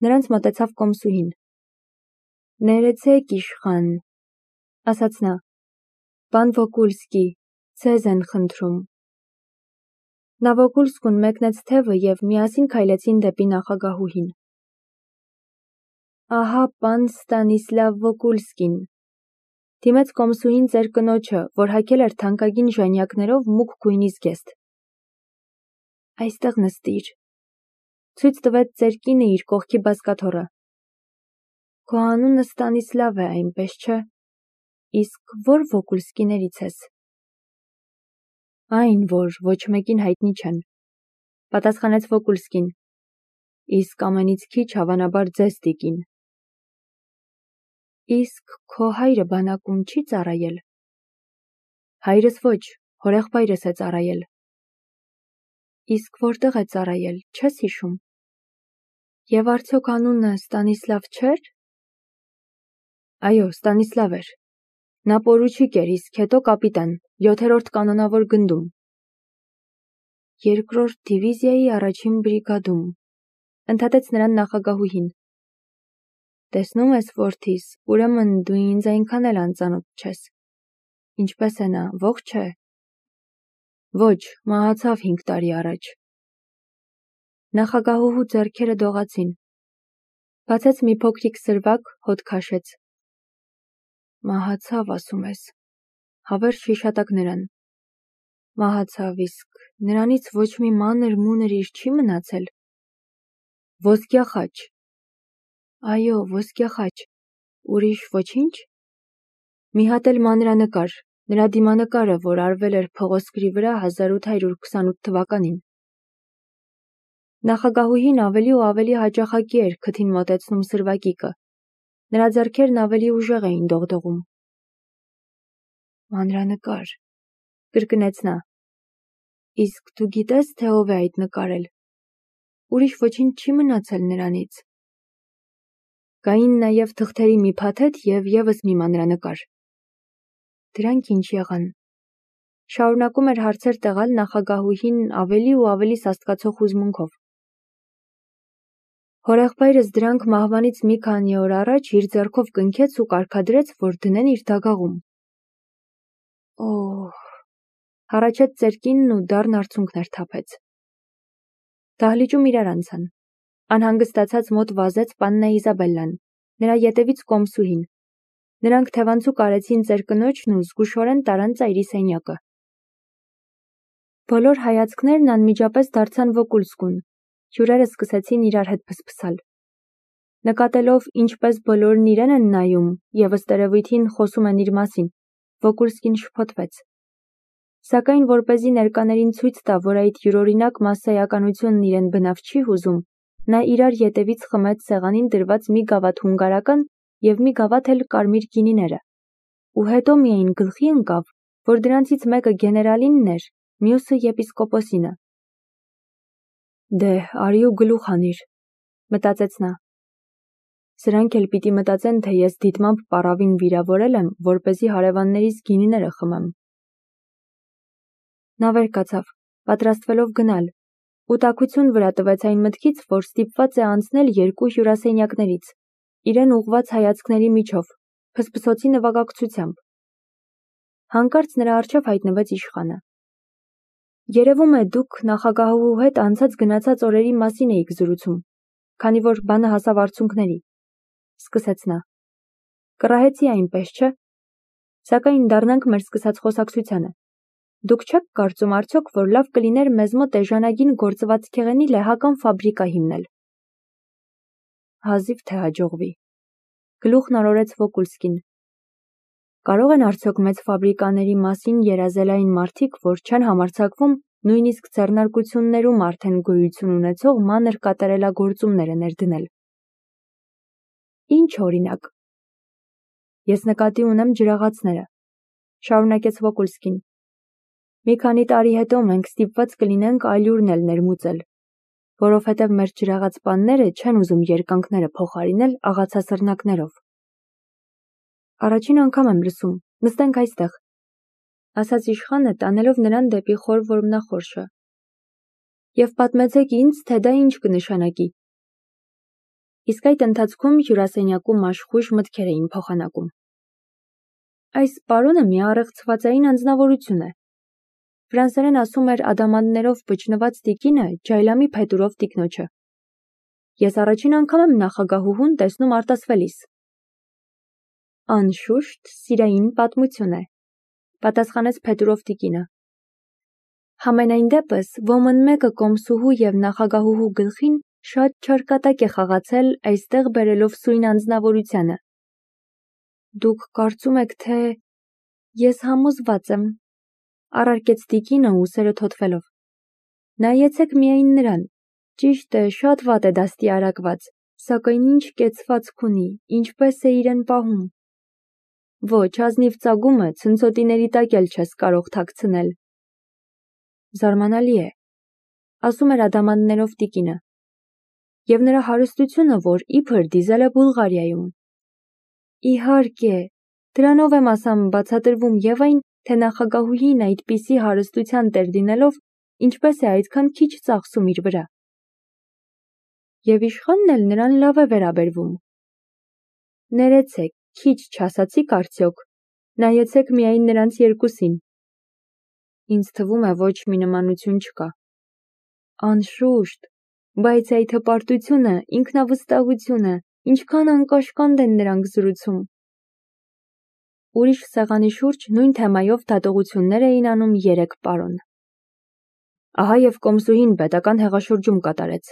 Նրանց մոտեցավ կոմսուհին. Ներեցեք իշխան, ասաց նա, բան Վոկուլսկի, ձեզ են խնդրում։ Նա Վոկուլսկուն մեկնեց թևը և միասին քայլեցին դեպի նախագահուհին։ Ահա պան Ստանիսլավ Վոկուլսկին, դիմեց կոմսուհին ծեր կնոջը, որ հագել էր թանկագին ժանյակներով մուգ գույնի զգեստ։ Այստեղ նստիր, ցույց տվեց ծեր կինը իր կողքի բազկաթոռը։ Քո անունը Ստանիսլավ է, այնպես չէ։ Իսկ որ Վոկուլսկիներից ես։ Այն, որ ոչ մեկին հայտնի չեն, պատասխանեց Վոկուլսկին, իսկ ամենից քիչ հավանաբար ձեզ տիկին։ Իսկ քո հայրը բանակում չի ծառայել։ Հայրս ոչ, հորեղբայրս է ծառայել։ Իսկ որտեղ է ծառայել, չես հիշում։ Եվ արդյոք անունը Ստանիսլավ չէր։ Այո, Ստանիսլավ էր։ Նա պորուչիկ էր, իսկ հետո կապիտան, 7-րդ կանոնավոր գնդում։ 2-րդ դիվիզիայի 1-ին բրիգադում, ընդհատեց նրան նախագահուհին։ Տեսնում ես, որդիս, ուրեմն դու ինձ այնքան էլ անծանոթ չես։ Ինչպես է նա, ողջ է։ Ոչ, մահացավ 5 տարի առաջ։ Նախագահուհու ձեռքերը դողացին։ Բացեց մի փոքրիկ սրվակ, հոտ քաշեց։ Մահացավ, ասում ես։ Հավերժ հիշատակ նրան։ Մահացավ, իսկ նրանից ոչ մի մանր-մունր իր չի մնացել։ Ոսկյա խաչ։ Այո, ոսկյա խաչ։ Ուրիշ ոչինչ։ Մի հատ էլ մանրանկար, նրա դիմանկարը, որ արվել էր փղոսկրի վրա 1828 թվականին։ Նախագահուհին ավելի ու ավելի հաճախակի էր քթին մոտեցնում սրվակիկը։ Նրա ձեռքերն ավելի ուժեղ էին դողդողում։ Մանրանկար, կրկնեց նա։ Իսկ դու գիտես, թե ով է այդ նկարել։ Ուրիշ ոչինչ չի մնացել նրանից։ Կային նաև թղթերի մի փաթեթ և ևս մի մանրանկար։ Դրանք ինչ եղան։ Շարունակում էր հարցեր տեղալ նախագահուհին ավելի ու ավելի սաստկացող հուզմունքով։ Հորեղբայրս դրանք մահվանից մի քանի օր առաջ իր ձեռքով կնքեց ու կարգադրեց, որ դնեն իր դագաղում։ Օհ, հառաչեց ծեր կինն ու դառն արցունքներ թափեց։ Դահլիճում իրար անցան։ Անհանգստացած մոտ վազեց պաննա Իզաբելլան, նրա ետևից կոմսուհին։ Նրանք թևանցուկ արեցին ծեր կնոջն ու զգուշորեն տարան ծայրի սենյակը։ Բոլոր հայացքներն անմիջապես դարձան Վոկուլսկուն։ Հյուրերը սկսեցին իրար հետ փսփսալ։ Նկատելով, ինչպես բոլորն իրեն են նայում և ըստ երևույթին խոսում են իր մասին, Վոկուլսկին շփոթվեց։ Սակայն որպեսզի ներկաներին ցույց տա, որ այդ յուրօրինակ մասսայականությունն իրեն բնավ չի հուզում, նա իրար ետևից խմեց սեղանին դրված մի գավաթ հունգարական և մի գավաթ էլ կարմիր գինիները, ու հետո միայն գլխի ընկավ, որ դրանցից մեկը գեներալինն էր, մյուսը եպիսկոպոսինը։ Դե, արի ու գլուխ անիր, մտածեց նա։ Սրանք էլ պիտի մտածեն, թե ես դիտմամբ պառավին վիրավորել եմ, որպեսզի հարևաններիս գինիները խմեմ։ Նա վեր կացավ, պատրաստվելով գնալ, ու տաքություն վրա տվեց այն մտքից, որ ստիպված է անցնել 2 հյուրասենյակներից, իրեն ուղղված հայացքների միջով, փսփսոցի նվագակցությամբ։ Հանկարծ նրա առջև հայտնվեց իշխանը։ Երևում է դուք նախագահուհու հետ անցած-գնացած օրերի մասին էիք զրուցում, քանի որ բանը հասավ արցունքների, սկսեց նա։ Կռահեցի այնպես, չէ՞։ Սակայն դառնանք մեր սկսած խոսակցությանը։ Դուք չեք կարծում արդյոք, որ լավ կլիներ մեզ մոտ էժանագին գործվածքեղենի լեհական ֆաբրիկա հիմնել։ Հազիվ թե հաջողվի։ Գլուխն արորեց Վոկուլսկին։ Կարող են արդյոք մեծ ֆաբրիկաների մասին երազել այն մարդիկ, որ չեն համարձակվում նույնիսկ ձեռնարկություններում արդեն գոյություն ունեցող մանր կատարելագործումները ներդնել։ Ինչ օրինակ։ Ես նկատի ունեմ ջրաղացները, շարունակեց Վոկուլսկին։ Մի քանի տարի հետո մենք ստիպված կլինենք այլուրն էլ ներմուծել, որովհետև մեր ջրաղաց պանները չեն ուզում երկանքները փոխարինել աղացասռնակներով։ Առաջին անգամ եմ լսում, նստենք այստեղ, ասաց իշխանը, տանելով նրան դեպի խոր որմնախորշը։ Եվ պատմեցեք ինձ, թե դա ինչ կնշանակի։ Իսկ այդ ընթացքում հյուրասենյակում աշխույժ մտքեր էին փոխանակում։ Այս պարոնը մի առեղծվածային անձնավորություն է։ Ֆրանսերեն ասում էր ադամանդներով բջնված տիկինը ջայլամի փետուրով տիկնոջը։ Ես առաջին անգամ եմ նախագահուհուն տեսնում արտասվելիս։ Անշուշտ սիրային պատմություն է, պատասխանեց փետուրով տիկինը։ Համենայն դեպս ոմն մեկը կոմսուհու և նախագահուհու գլխին շատ չարկատակ է խաղացել այստեղ բերելով սույն անձնավորությանը։ Դուք կարծում եք, թե… Ես համոզված եմ, առարկեց տիկինը ուսերը թոթվելով։ Նայեցեք միայն նրան, ճիշտ է, շատ վատ է դաստիարակված, սակայն ինչ կեցվածք ունի, ինչպես է իրեն պահում։ Ոչ, ազնիվ ծագումը ցնցոտիների տակ էլ չես կարող թաքցնել։ Զարմանալի է, ասում էր ադամանդներով տիկինը, և նրա հարստությունը, որ իբր դիզել է Բուլղարիայում։ Իհարկե, դրանով եմ ասամ բացատրվում և այն, թե նախագահուհին այդպիսի հարստության տեր լինելով, ինչպես է այդքան քիչ ծախսում իր վրա։ Եվ իշխանն էլ նրան լավ է վերաբերվում։ Ներեցեք, քիչ չասացիք արդյոք, նայեցեք միայն նրանց երկուսին։ Ինձ թվում է ոչ մի նմանություն չկա։ Անշուշտ, բայց այդ հպարտությունը, ինքնավստահությունը, ինչքան անկաշկանդ են նրանք զրուցում։ Ուրիշ սեղանի շուրջ նույն թեմայով դատողություններ էին անում 3 պարոն։ Ահա և կոմսուհին պետական հեղաշրջում կատարեց,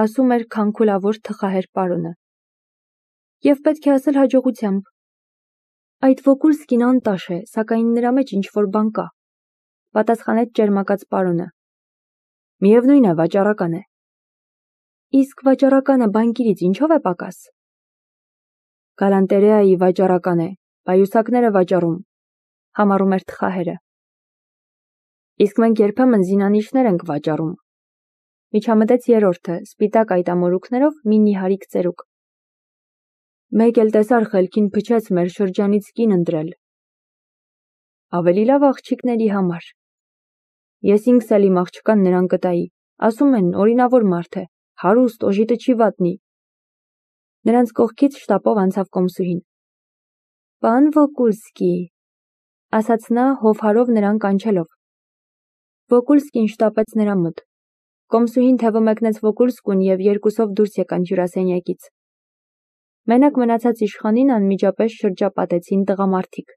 ասում էր քանքուլավոր թխահեր պարոնը։ Եվ պետք է ասել հաջողությամբ։ Այդ Վոկուլսկին անտաշ է, սակայն նրա մեջ ինչ-որ բան կա, պատասխանեց ճերմակած պարոնը։ Միևնույն է, վաճառական է։ Իսկ վաճառականը բանկիրից ինչով է պակաս։ Գալանտերեայի վաճառական է, պայուսակներ է վաճառում, համառում էր թխահերը։ Իսկ մենք երբեմն զինանիշներ ենք վաճառում։ Միջամտեց երրորդը, սպիտակ այտամորուքներով մի նիհարիկ ծերուկ։ Մեկ էլ տեսար խելքին փչեց մեր շրջանից կին ընտրել։ Ավելի լավ աղջիկների համար։ Ես ինքս էլ իմ աղջկան նրան կտայի, ասում են օրինավոր մարդ է, հարուստ, օժիտը չի վատնի։ Նրանց կողքից շտապով անցավ կոմսուհին։ Պան Վոկուլսկի, ասաց նա հովհարով նրան կանչելով։ Վոկուլսկին շտապեց նրա մոտ։ Կոմսուհին թևը մեկնեց Վոկուլսկուն և երկուսով դուրս եկան հյուրասենյակից։ Մենակ մնացած իշխանին անմիջապես շրջապատեցին տղամարդիկ։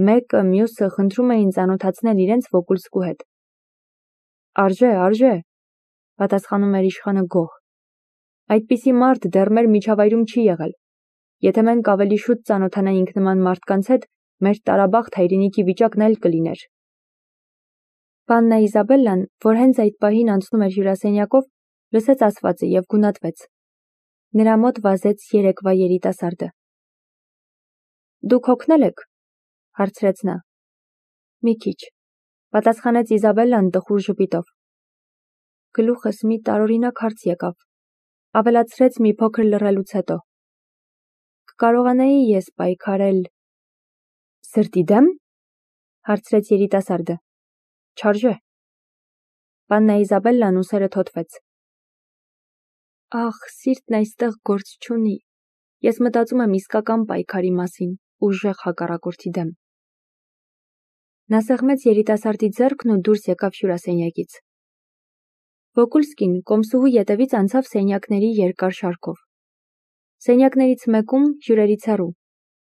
Մեկը մյուսը խնդրում էին ծանոթացնել իրենց Վոկուլսկու հետ։ Արժե, պատասխանում էր իշխանը գոհ։ Այդպիսի մարդ դեռ մեր միջավայրում չի եղել։ Եթե մենք ավելի շուտ ծանոթանայինք նման մարդկանց հետ, մեր տարաբախտ հայրենիքի վիճակն էլ կլիներ։ Պաննա Իզաբելլան, որ հենց այդ պահին անցնում էր հյուրասենյակով, լսեց ասվածը և գունատվեց։ Նրա մոտ վազեց երեկվա երիտասարդը։ Դուք հոգնել եք, հարցրեց նա։ Մի քիչ, պատասխանեց Իզաբելլան տխուր ժպիտով։ Գլուխս մի տարօրինակ հարց եկավ, ավելացրեց մի փոքր լռելուց հետո։ Կկարողանայի ես պայքարել… Սրտի դեմ, հարցրեց երիտասարդը։ Չարժե։ Պաննա Իզաբելլան ուսերը թոթվեց։ Ախ, սիրտն այստեղ գործ չունի։ Ես մտածում եմ իսկական պայքարի մասին, ուժեղ հակառակորդի դեմ։ Նա սեղմեց երիտասարդի ձեռքն ու դուրս եկավ հյուրասենյակից։ Վոկուլսկին կոմսուհու ետևից անցավ սենյակների երկար շարքով։ Սենյակներից մեկում, հյուրերից հեռու,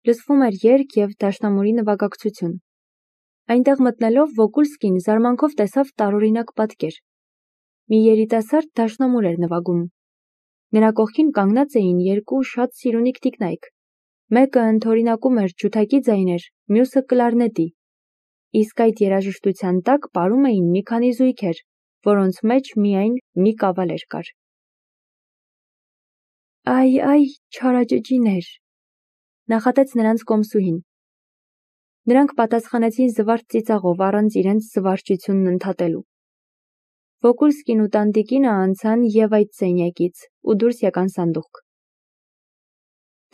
լսվում էր երգ և դաշնամուրի նվագակցություն։ Այնտեղ մտնելով Վոկուլսկին զարմանքով տեսավ տարօրինակ պատկեր։ Մի երիտասարդ դաշնամուր էր նվագում։ Նրա կողքին կանգնած էին 2 շատ սիրունիկ տիկնայք։ Մեկը ընդօրինակում էր ջութակի ձայներ, մյուսը կլարնետի։ Իսկ այդ երաժշտության տակ պարում էին մի քանի զույգեր, որոնց մեջ միայն մի կավալեր կար։ Այ, չարաճճիներ, նախատեց նրանց կոմսուհին։ Նրանք պատասխանեցին զվարթ ծիծաղով առանց իրենց զվարճությունն ընդհատելու։ Վոկուլսկին ու տանտիկինը անցան և այդ սենյակից ու դուրս եկան սանդուղք։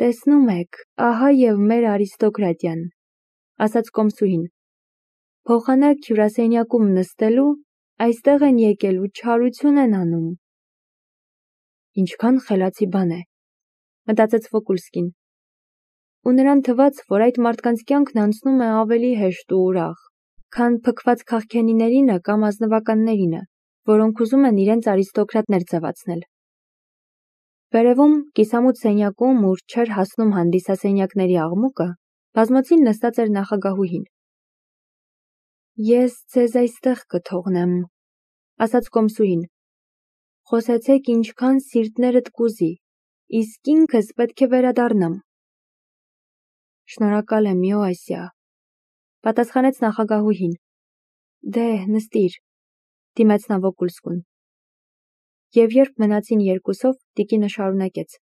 Տեսնում եք, ահա և մեր արիստոկրատիան, ասաց կոմսուհին։ Փոխանակ հյուրասենյակում նստելու, այստեղ են եկել ու չարություն են անում։ Ինչքան խելացի բան է, մտածեց Վոկուլսկին։ Ու նրան թվաց, որ այդ մարդկանց կյանքն անցնում է ավելի հեշտ ու ուրախ, քան փքված քաղքենիներինը կամ ազնվականներինը, որոնք ուզում են իրենց արիստոկրատներ ձևացնել։ Վերևում, կիսամութ սենյակում, ուր չէր հասնում հանդիսասենյակների աղմուկը, բազմոցին նստած էր նախագահուհին։ Ես ձեզ այստեղ կթողնեմ, ասաց կոմսուհին։ Խոսեցեք ինչքան սիրտներդ կուզի, իսկ ինքս պետք է վերադառնամ։ Շնորհակալ եմ, Իոասիա, պատասխանեց նախագահուհին։ Դե, նստիր, դիմեց նա Վոկուլսկուն։ Եվ երբ մնացին երկուսով, տիկինը շարունակեց.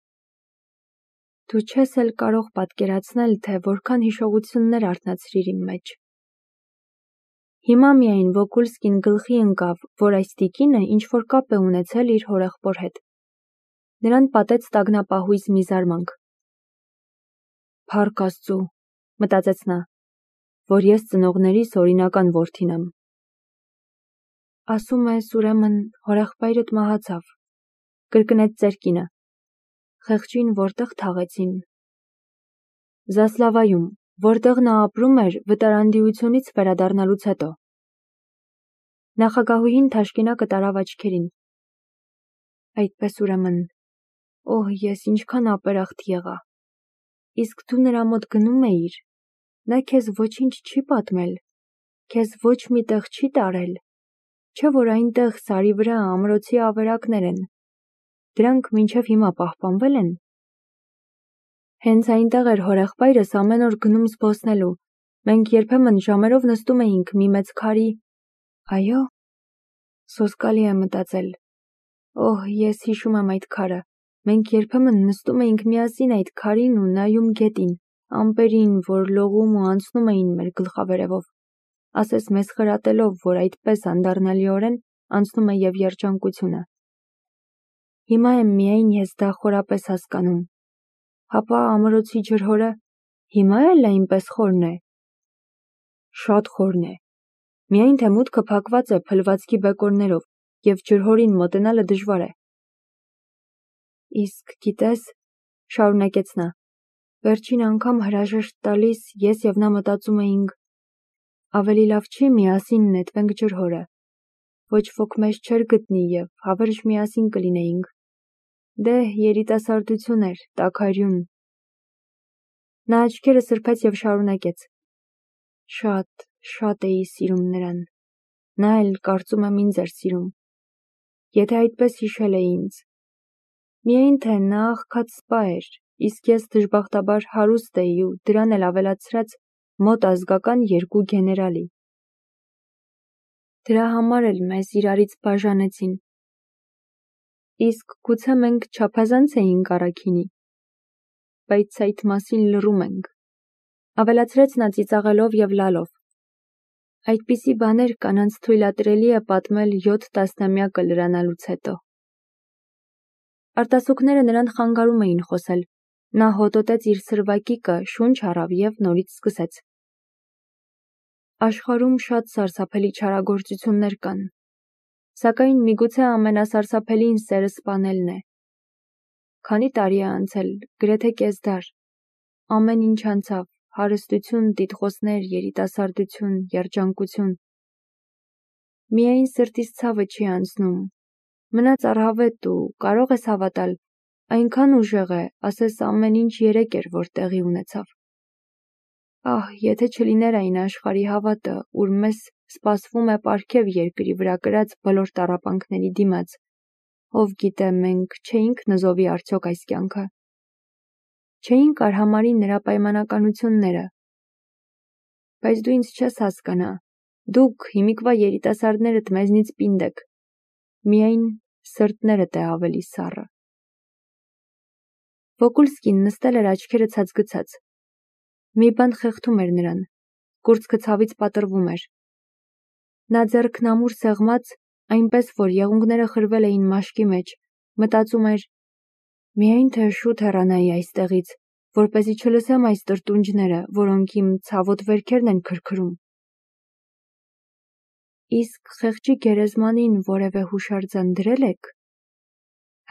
Դու չես էլ կարող պատկերացնել, թե որքան հիշողություններ արթնացրիր իմ մեջ։ Հիմա միայն Վոկուլսկին գլխի ընկավ, որ այս տիկինը ինչ-որ կապ է ունեցել իր հորեղբոր հետ։ Նրան պատեց տագնապահույզ մի զարմանք։ Փառք Աստծու, մտածեց նա, որ ես ծնողներիս օրինական որդին եմ։ Ասում ես, ուրեմն, հորեղբայրդ մահացավ, կրկնեց ծերկինը։ Խեղճին որտեղ թաղեցին։ Զասլավայում, որտեղ նա ապրում էր վտարանդիությունից վերադառնալուց հետո։ Նախագահուհին թաշկինակը տարավ աչքերին։ Այդպես ուրեմն, օհ, ես ինչքան ապերախտ եղա։ Իսկ դու նրա մոտ գնում էիր, նա քեզ ոչինչ չի պատմել, քեզ ոչ մի տեղ չի տարել, չէ՞ որ այնտեղ սարի վրա ամրոցի ավերակներ են, դրանք մինչև հիմա պահպանվել են։ Հենց այնտեղ էր հորեղբայրս ամեն օր գնում զբոսնելու, մենք երբեմն ժամերով նստում էինք մի մեծ քարի։ Այո, սոսկալի է մտածել։ Օհ, ես հիշում եմ այդ քարը, մենք երբեմն նստում էինք միասին այդ քարին ու նայում գետին, ամպերին, որ լողում ու անցնում էին մեր գլխավերևով, ասես մեզ խրատելով, որ այդպես անդառնալիորեն անցնում է և երջանկությունը։ Հիմա եմ միայն ես դա խորապես հասկանում։ Հապա ամրոցի ջրհորը հիմա էլ այնպես խորն է։ Շատ խորն է։ Միայն թե մուտքը փակված է փլվածքի բեկորներով և ջրհորին մոտենալը դժվար է։ Իսկ գիտես, շարունակեց նա, վերջին անգամ հրաժեշտ տալիս ես և նա մտածում էինք, ավելի լավ չի միասին նետվենք ջրհորը։ Ոչ ոք մեզ չէր գտնի և հավերժ միասին կլինեինք։ Դե, երիտասարդություն էր, տաքարյուն։ Նա աչքերը սրբեց և շարունակեց. Շատ, շատ էի սիրում նրան։ Նա էլ կարծում եմ ինձ էր սիրում։ Եթե այդպես հիշել է ինձ։ Միայն թե նա աղքատ սպա էր, իսկ ես դժբախտաբար հարուստ էի ու դրան էլ ավելացրած մոտ ազգական 2 գեներալի։ Դրա համար էլ մեզ իրարից բաժանեցին։ Իսկ գուցե մենք չափազանց էինք առաքինի։ Բայց այդ մասին լռում ենք, ավելացրեց նա ծիծաղելով և լալով։ Այդպիսի բաներ կանանց թույլատրելի է պատմել 7 տասնամյակը լրանալուց հետո։ Արտասուքները նրան խանգարում էին խոսել։ Նա հոտոտեց իր սրվակիկը, շունչ առավ և նորից սկսեց. Աշխարհում շատ սարսափելի չարագործություններ կան, սակայն միգուցե ամենասարսափելին սերը սպանելն է։ Քանի տարի է անցել, գրեթե կեսդար։ Ամեն ինչ անցավ, հարստություն, տիտղոսներ, երիտասարդություն, երջանկություն։ Միայն սրտիս ցավը չի անցնում։ Մնաց առհավետ ու կարող ես հավատալ, այնքան ուժեղ է, ասես ամեն ինչ երեկ էր, որ տեղի ունեցավ։ Ահ, եթե չլիներ այն աշխարհի հավատը, ուր մեզ սպասվում է պարգև երկրի վրա կրած բոլոր տառապանքների դիմաց, ով գիտե մենք չէինք նզովի արդյոք այս կյանքը։ Չէինք արհամարհի նրա պայմանականությունները։ Բայց դու ինձ չես հասկանա, դուք հիմիկվա երիտասարդներդ մեզնից պինդ եք, միայն սրտներդ է ավելի սառը։ Վոկուլսկին նստել էր աչքերը ցածգցած։ Մի բան խեղդում էր նրան, կուրծքը ցավից պատռվում էր։ Նա ձեռքն ամուր սեղմած, այնպես որ եղունգները խրվել էին մաշկի մեջ, մտածում էր. միայն թե շուտ հեռանայի այստեղից, որպեսզի չլսեմ այս տրտունջները, որոնք իմ ցավոտ վերքերն են քրքրում։ Իսկ խեղճի գերեզմանին որևէ հուշարձան դրել եք։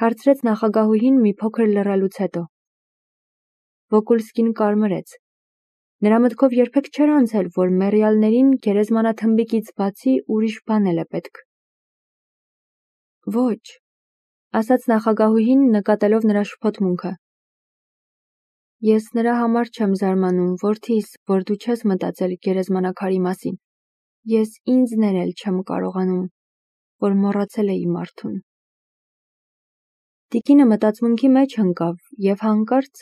Հարցրեց նախագահուհին մի փոքր լռելուց հետո։ Վոկուլսկին կարմրեց։ Նրա մտքով երբեք չէր անցել, որ մեռյալներին գերեզմանաթմբիկից բացի ուրիշ բան էլ է պետք։ Ոչ, ասաց նախագահուհին նկատելով նրա շփոթմունքը։ Ես նրա համար չեմ զարմանում, որդիս, որ դու չես մտածել գերեզմանակարի մասին։ Ես ինձ ներել չեմ կարողանում, որ մոռացել էի մարդուն։ Տիկինը մտածմունքի մեջ ընկավ և հանկարծ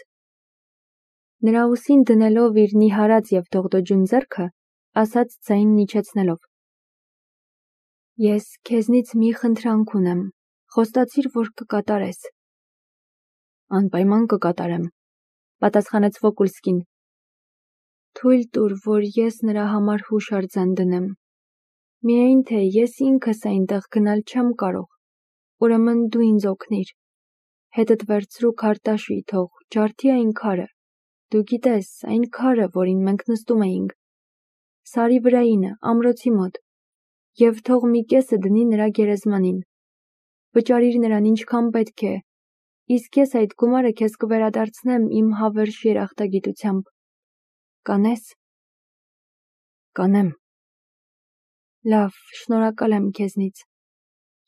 նրա ուսին դնելով իր նիհարած և դողդոջուն ձեռքը, ասաց ձայնն իջեցնելով. Ես քեզնից մի խնդրանք ունեմ, խոստացիր, որ կկատարես։ Անպայման կկատարեմ, պատասխանեց Վոկուլսկին։ Թույլ տուր, որ ես նրա համար հուշարձան դնեմ։ Միայն թե ես ինքս այնտեղ գնալ չեմ կարող, ուրեմն դու ինձ օգնիր։ Հետդ վերցրու քարտաշի, թող ջարդի այն քարը։ Դու գիտես, այն քարը, որին մենք նստում էինք, սարի վրայինը, ամրոցի մոտ, և թող մի կեսը դնի նրա գերեզմանին։ Վճարիր նրան ինչքան պետք է, իսկ ես այդ գումարը քեզ կվերադարձնեմ իմ հավերժ երախտագիտությամբ։ Կանես։ Կանեմ։ Լավ, շնորհակալ եմ քեզնից։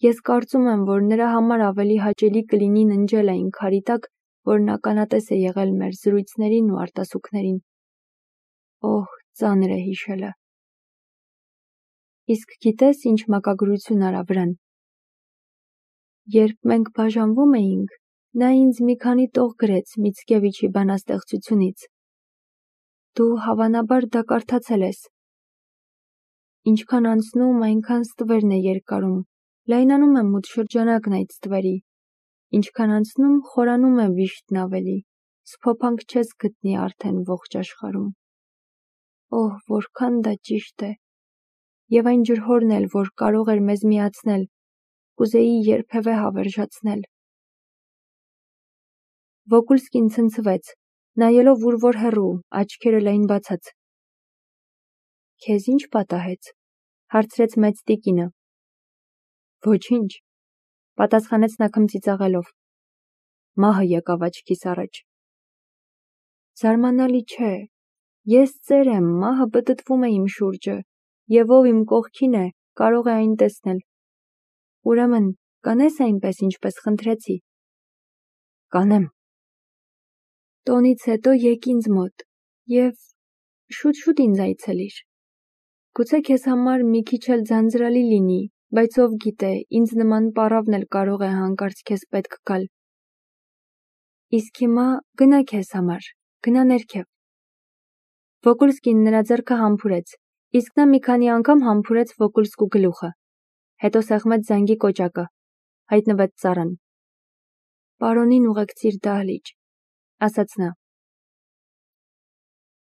Ես կարծում եմ, որ նրա համար ավելի հաճելի կլինի ննջել այն քարի տակ, որն ականատես է եղել մեր զրույցներին ու արտասուքներին։ Օհ, ծանր է հիշելը։ Իսկ գիտես, ինչ մակագրություն արա վրան։ Երբ մենք բաժանվում էինք, նա ինձ մի քանի տող գրեց Միցկևիչի բանաստեղծությունից։ Դու հավանաբար դա կարդացել ես։ Ինչքան անցնում, այնքան ստվերն է երկարում, լայնանում է մութ շրջանակն այդ ստվերի։ Ինչքան անցնում, խորանում է վիշտն ավելի, սփոփանք չես գտնի արդեն ողջ աշխարհում։ Օհ, որքան դա ճիշտ է։ Եվ այն ջրհորն էլ, որ կարող էր մեզ միացնել, կուզեի երբևէ հավերժացնել։ Վոկուլսկին ցնցվեց, նայելով ուր-որ հեռու, աչքերը լայն բացած։ Քեզ ինչ պատահեց, հարցրեց մեծ տիկինը։ Ոչինչ, պատասխանեց նա քմծիծաղելով։ Մահը եկավ աչքիս առաջ։ Զարմանալի չէ, ես ծեր եմ, մահը պտտվում է իմ շուրջը, և ով իմ կողքին է, կարող է այն տեսնել։ Ուրեմն, կանես այնպես, ինչպես խնդրեցի։ Կանեմ։ Տոնից հետո եկ ինձ մոտ և շուտ-շուտ ինձ այցելիր։ Գուցե քեզ համար մի քիչ էլ ձանձրալի լինի, բայց ով գիտե, ինձ նման պառավն էլ կարող է հանկարծ քեզ պետք գալ։ Իսկ հիմա գնա քեզ համար, գնա ներքև։ Վոկուլսկին նրա ձեռքը համբուրեց, իսկ նա մի քանի անգամ համբուրեց Վոկուլսկու գլուխը։ Հետո սեղմեց զանգի կոճակը, հայտնվեց ծառան։ Պարոնին ուղեկցիր դահլիճ, ասաց նա։